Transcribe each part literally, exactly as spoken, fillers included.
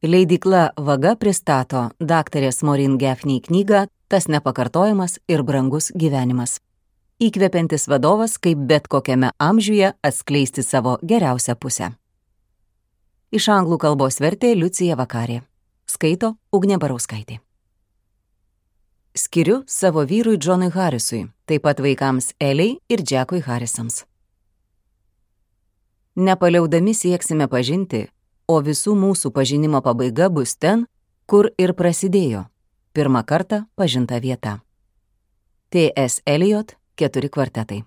Leidykla Vaga pristato daktarės Maureen Gaffney knygą Tas nepakartojamas ir brangus gyvenimas. Įkvepiantis vadovas, kaip bet kokiame amžiuje atskleisti savo geriausią pusę. Iš anglų kalbos vertė Liucija Vakarė. Skaito Ugnė Barauskaitė. Skiriu savo vyrui Džonui Harrisui, taip pat vaikams Eliai ir Džekui Harrisams. Nepaliaudami sieksime pažinti, o visų mūsų pažinimo pabaiga bus ten, kur ir prasidėjo pirmą kartą pažinta vieta. T S Eliot, keturi kvartetai.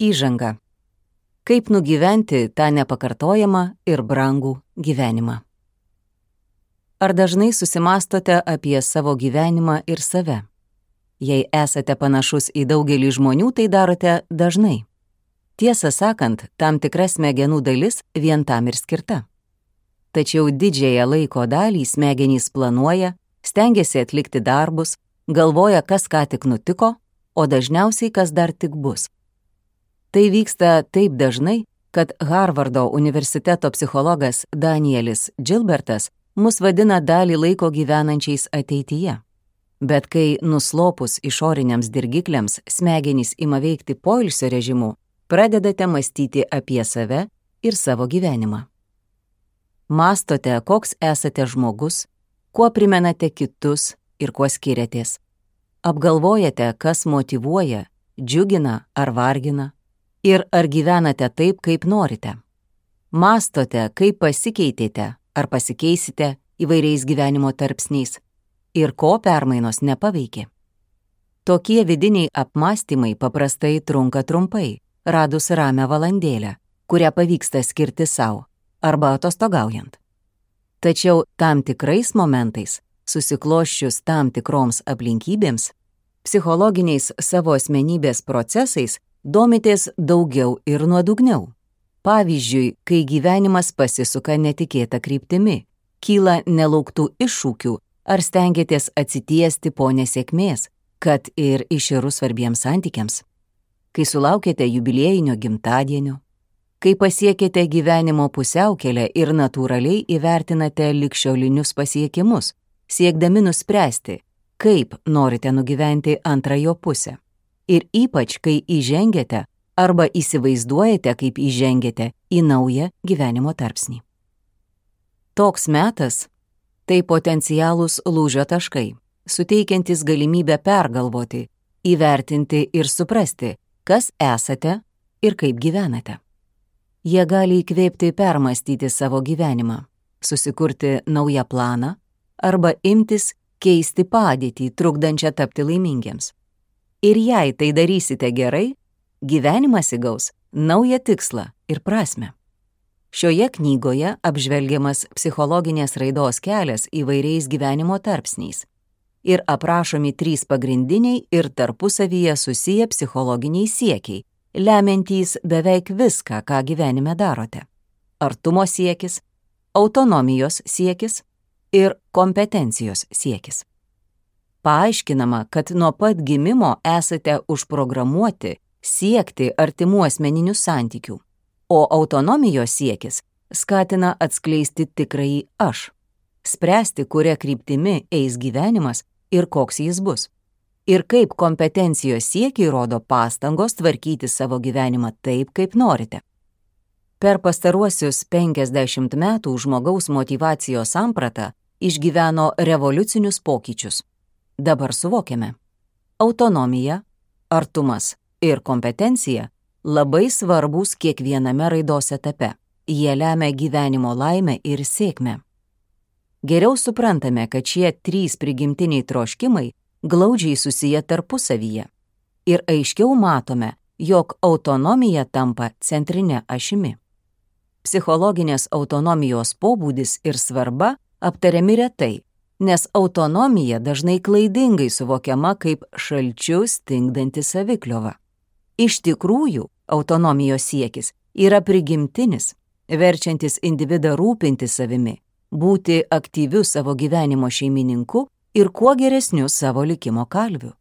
Įžanga. Kaip nugyventi tą nepakartojamą ir brangų gyvenimą. Ar dažnai susimastote apie savo gyvenimą ir save? Jei esate panašus į daugelį žmonių, tai darote dažnai. Tiesą sakant, tam tikra smegenų dalis vien tam ir skirta. Tačiau didžiąją laiko dalį smegenys planuoja, stengiasi atlikti darbus, galvoja, kas ką tik nutiko, o dažniausiai kas dar tik bus. Tai vyksta taip dažnai, kad Harvardo universiteto psichologas Danielis Gilbertas mus vadina dalį laiko gyvenančiais ateityje. Bet kai nuslopus išoriniams dirgikliams smegenys ima veikti poilsio režimu, pradedate mąstyti apie save ir savo gyvenimą. Mąstote, koks esate žmogus, kuo primenate kitus ir kuo skiriatės. Apgalvojate, kas motyvuoja, džiugina ar vargina ir ar gyvenate taip, kaip norite. Mąstote, kaip pasikeitėte ar pasikeisite įvairiais gyvenimo tarpsniais ir ko permainos nepaveikė. Tokie vidiniai apmąstymai paprastai trunka trumpai, radus ramią valandėlę, kurią pavyksta skirti savo arba atostogaujant. Tačiau tam tikrais momentais, susikloščius tam tikroms aplinkybėms, psichologiniais savo asmenybės procesais domitės daugiau ir nuodugniau. Pavyzdžiui, kai gyvenimas pasisuka netikėta kryptimi, kyla nelauktų iššūkių ar stengiatės atsitiesti po nesėkmės, kad ir iširus svarbiems santykiams. Kai sulaukėte jubiliejinio gimtadienio, kai pasiekėte gyvenimo pusiaukelę ir natūraliai įvertinate ligšiolinius pasiekimus, siekdami nuspręsti, kaip norite nugyventi antrąjo pusę. Ir ypač, kai įžengiate arba įsivaizduojate, kaip įžengiate į naują gyvenimo tarpsnį. Toks metas – tai potencialūs lūžio taškai, suteikiantis galimybę pergalvoti, įvertinti ir suprasti, kas esate ir kaip gyvenate. Jie gali įkvėpti permastyti savo gyvenimą, susikurti naują planą arba imtis keisti padėtį, trukdančią tapti laimingiems. Ir jei tai darysite gerai, gyvenimas įgaus naują tikslą ir prasmę. Šioje knygoje apžvelgiamas psichologinės raidos kelias įvairiais gyvenimo tarpsniais ir aprašomi trys pagrindiniai ir tarpusavyje susiję psichologiniai siekiai, lemiantys beveik viską, ką gyvenime darote. Artumo siekis, autonomijos siekis ir kompetencijos siekis. Paaiškinama, kad nuo pat gimimo esate užprogramuoti siekti artimų asmeninių santykių, o autonomijos siekis skatina atskleisti tikrąjį aš, spręsti, kuria kryptimi eis gyvenimas ir koks jis bus, ir kaip kompetencijos siekiai rodo pastangos tvarkyti savo gyvenimą taip, kaip norite. Per pastaruosius penkiasdešimt metų žmogaus motyvacijos samprata išgyveno revoliucinius pokyčius. Dabar suvokiame. Autonomija, artumas ir kompetencija labai svarbūs kiekviename raidos etape. Jie lemia gyvenimo laimę ir sėkmę. Geriau suprantame, kad šie trys prigimtiniai troškimai glaudžiai susiję tarpusavyje. Ir aiškiau matome, jog autonomija tampa centrine ašimi. Psichologinės autonomijos pobūdis ir svarba aptariami retai, nes autonomija dažnai klaidingai suvokiama kaip šalčiu stingdanti savikliova. Iš tikrųjų, autonomijos siekis yra prigimtinis, verčiantis individą rūpinti savimi, būti aktyviu savo gyvenimo šeimininku ir kuo geresniu savo likimo kalviu.